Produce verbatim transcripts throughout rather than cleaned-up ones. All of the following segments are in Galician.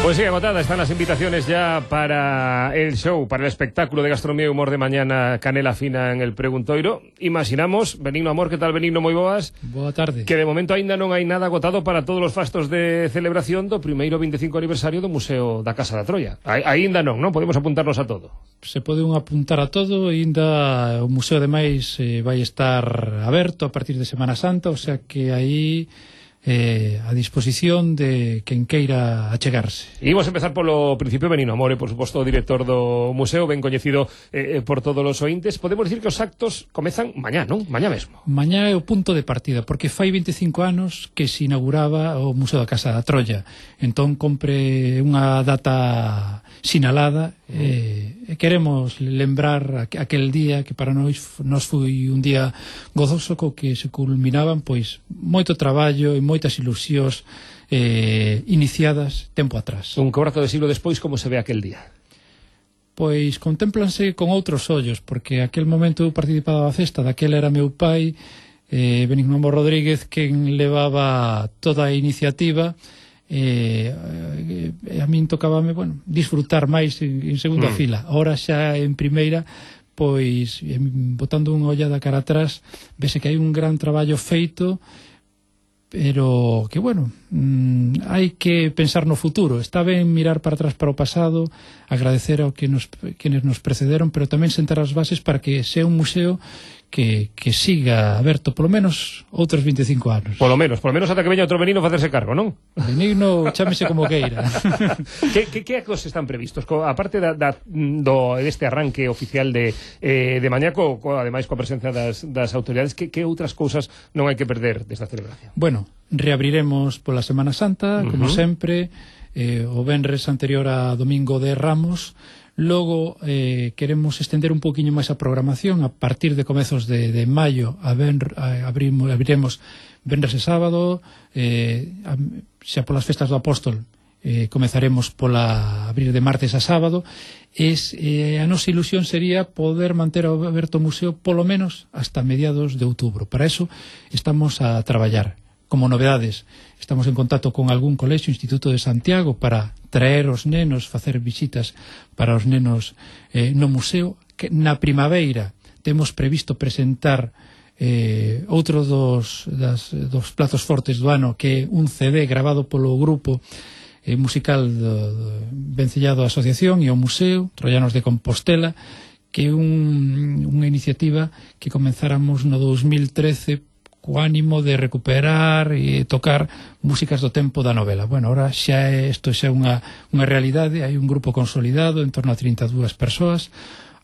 Pues sí, agotadas están las invitaciones ya para el show, para el espectáculo de gastronomía y humor de mañana, Canela Fina en el Preguntoiro. Imaginamos, Benigno Amor, que tal, Benigno, moi boas? Boa tarde. Que de momento aínda non hai nada agotado para todos os fastos de celebración do primeiro veinticinco aniversario do Museo da Casa da Troia. Aínda non, non? Podemos apuntarnos a todo. Se pode un apuntar a todo, aínda o museo ademais eh, vai estar aberto a partir de Semana Santa, o sea que aí eh, a disposición de quen queira achegarse. E imos empezar polo principio, Benigno Amor, e por suposto o director do museo, ben coñecido eh, por todos os ointes. Podemos dicir que os actos comezan mañá, non? Mañá mesmo. Mañá é o punto de partida, porque fai veinticinco anos que se inauguraba o Museo da Casa da Troia. Entón compre unha data sinalada e eh, queremos lembrar aquel día que para nós nos foi un día gozoso co que se culminaban pois moito traballo e moitas ilusións eh, iniciadas tempo atrás. Un cuarto de siglo despois, como se ve aquel día? Pois contémplanse con outros ollos, porque aquel momento eu participaba da festa, daquel era meu pai, eh, Benigno Amor Rodríguez, quen levaba toda a iniciativa. Eh, eh, a min tocábame, bueno, disfrutar máis en, en segunda mm. fila. Ahora xa en primeira, pois eh, botando unha ollada cara atrás, vese que hai un gran traballo feito, pero que, bueno, mmm, hai que pensar no futuro. Está ben mirar para atrás para o pasado, agradecer ao que nos, quenes nos precederon, pero tamén sentar as bases para que sea un museo que, que siga aberto polo menos outros veinticinco anos. Polo menos, polo menos ata que veña outro Benigno facerse cargo, non? Benigno, chámese como queira. que, que, que actos están previstos? Co, aparte da, da, do, deste arranque oficial de, eh, de mañá, co, co, ademais coa presencia das, das autoridades, que, que outras cousas non hai que perder desta celebración? Bueno, reabriremos pola Semana Santa, como uh-huh. sempre, eh, o venres anterior a Domingo de Ramos. Logo eh, queremos estender un poquinho máis a programación. A partir de comezos de, de maio a ben, a, abrimos, abriremos venres e sábado, eh, a, xa polas festas do Apóstol eh, comezaremos pola abrir de martes a sábado. Es, eh, a nosa ilusión sería poder manter aberto o museo polo menos hasta mediados de outubro. Para eso estamos a traballar. Como novedades, estamos en contacto con algún colexio, Instituto de Santiago, para traer os nenos, facer visitas para os nenos eh, no museo. Que na primavera temos previsto presentar eh, outro dos, das, dos platos fortes do ano, que é un C D grabado polo grupo eh, musical do, do vencellado á asociación e ao museo, Troianos de Compostela, que é un, unha iniciativa que comenzáramos no dos mil trece co ánimo de recuperar e tocar músicas do tempo da novela. Bueno, ahora xa é, isto xa é unha, unha realidade, hai un grupo consolidado en torno a trinta e dúas persoas,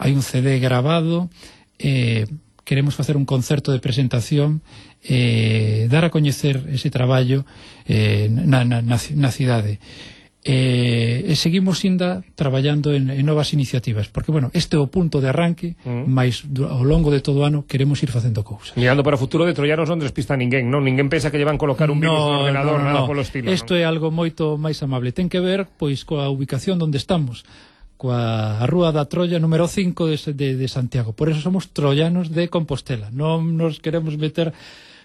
hai un C D grabado, eh, queremos facer un concerto de presentación, eh, dar a coñecer ese traballo eh, na, na, na, na cidade. Eh, e seguimos ainda traballando en, en novas iniciativas, porque, bueno, este é o punto de arranque, mm. mais ao longo de todo o ano queremos ir facendo cousas. Mirando para o futuro de Troianos non despista ninguén, non? Ninguén pensa que lle van colocar un no, virus no ordenador, no, nada no. polo estilo. Isto é algo moito máis amable. Ten que ver, pois, coa ubicación onde estamos, coa Rúa da Troia número cinco de, de, de Santiago. Por eso somos troianos de Compostela. Non nos queremos meter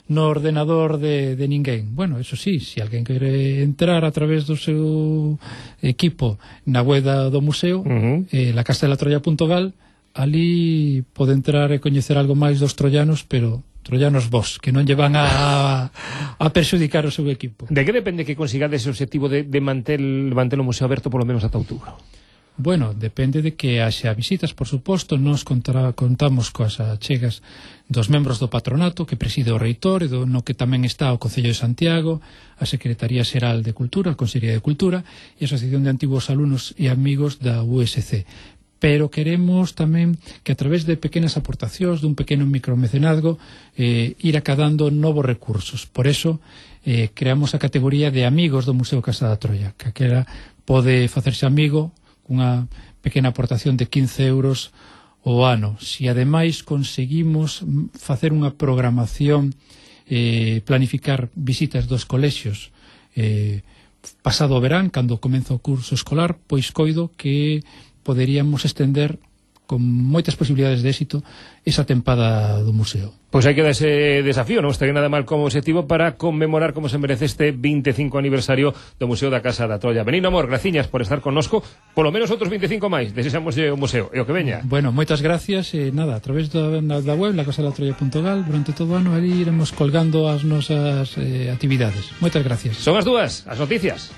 no ordenador de, de ninguén. Bueno, eso sí, se alguén quere entrar a través do seu equipo na web do museo, uh-huh. eh, la castelatroia punto gal, ali pode entrar e coñecer algo máis dos troianos, pero troianos vos, que non lle van a, a perxudicar o seu equipo. De que depende que consigades ese objetivo de, de manter, manter o museo aberto polo menos ata outubro? Bueno, depende de que haxa visitas, por suposto. Nos contará, contamos coas achegas dos membros do patronato que preside o reitor e do, no que tamén está o Concello de Santiago, a Secretaría Xeral de Cultura, a Consellería de Cultura e a Asociación de Antigos Alumnos e Amigos da U S C. Pero queremos tamén que a través de pequenas aportacións, dun pequeno micromecenazgo, eh, ir acadando novos recursos. Por eso eh, creamos a categoría de amigos do Museo Casa da Troia, que aquela pode facerse amigo unha pequena aportación de quince euros o ano. Si ademais conseguimos facer unha programación, eh, planificar visitas dos colexios eh, pasado o verán, cando comeza o curso escolar, pois coido que poderíamos estender con moitas posibilidades de éxito esa tempada do museo. Pois hai que dar ese desafío, non estaría nada mal como objetivo para conmemorar como se merece este vinte e cinco aniversario do Museo da Casa da Troia. Benigno Amor, graciñas por estar connosco, polo menos outros vinte e cinco máis, desexamos o museo, e o que veña. Bueno, moitas gracias, e nada, a través da, da web, la casa da troia punto gal, durante todo o ano ali iremos colgando as nosas eh, actividades. Moitas gracias. Son as dúas, as noticias.